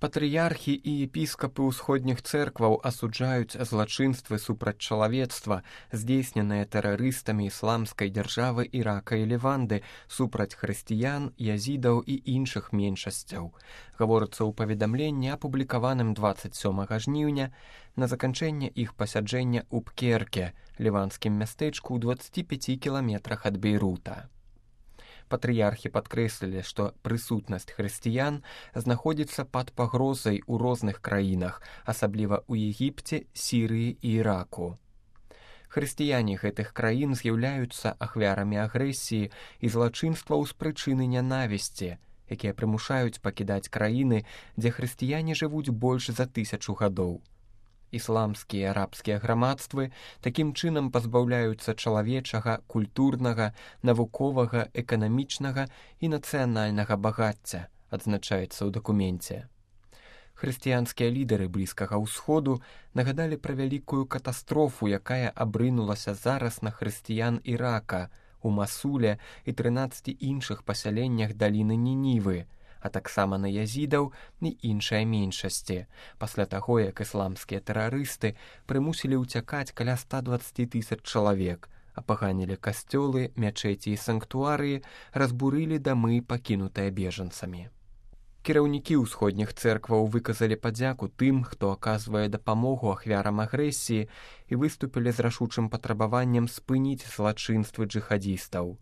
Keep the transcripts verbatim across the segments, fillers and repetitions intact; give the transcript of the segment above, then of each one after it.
Патрыярхі і епіскапы ўсходніх цэркваў асуджаюць злачынствы супраць чалавецтва, здзейсненыя тэрарыстамі ісламскай дзяржавы Ірака і Леванды супраць хрысціян, язідаў і іншых меншасцяў. Гаворыцца ў паведамленні, апублікаваным дваццаць сёмага жніўня, на заканчэнне іх пасяджэння ў Пкерке, ліванскім мястэчку ў дваццаці пяці кіламетрах ад Бейрута. Патрыярхі падкрэслілі, што прысутнасць хрысціян знаходзіцца пад пагрозай у розных краінах, асабліва ў Егіпце, Сірыі і Іраку. Хрысціяне гэтых краін з'яўляюцца ахвярамі агрэсіі і злачынстваў з прычыны нянавісці, якія прымушаюць пакідаць краіны, дзе хрысціяне жывуць больш за тысячу гадоў. Ісламскія і арабскія грамадствы такім чынам пазбаўляюцца чалавечага, культурнага, навуковага, эканамічнага і нацыянальнага багацця, адзначаецца ў дакуменце. Хрысціянскія лідары Блізкага ўсходу нагадалі пра вялікую катастрофу, якая абрынулася зараз на хрысціян Ірака, у Масуле і трынаццаці іншых пасяленнях даліны Нінівы, а таксама на язідаў і іншыя меншасці, пасля таго, як ісламскія тэрарысты прымусілі ўцякаць каля ста дваццаці тысяч чалавек, апаганілі касцёлы, мячэці і санктуарыі, разбурылі дамы, пакінутыя бежанцамі. Кіраўнікі ўсходніх цэркваў выказалі падзяку тым, хто аказвае дапамогу ахвярам агрэсіі і выступілі з рашучым патрабаваннем спыніць злачынствы джыхадзістаў.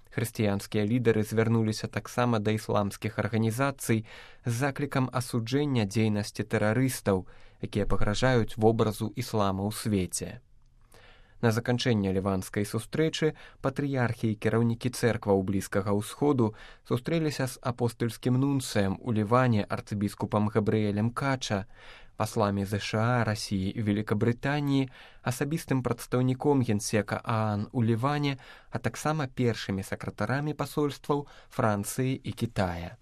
Хрысціянскія лідары звярнуліся таксама да ісламскіх арганізацый з заклікам асуджэння дзейнасці тэрарыстаў, якія пагражаюць вобразу іслама ў свеце. На заканчэнне ліванскай сустрэчы патрыярхі і кіраўнікі цэркваў Блізкага ўсходу сустрэліся з апостальскім нунцыем у Ліване арцыбіскупам Габрыэлем Кача, пасламі ЗША, Расіі і Великабрытаніі, асабістым прадстаўніком генсека ААН у Ліване, а таксама першымі сакратарамі пасольстваў Францыі і Кітая.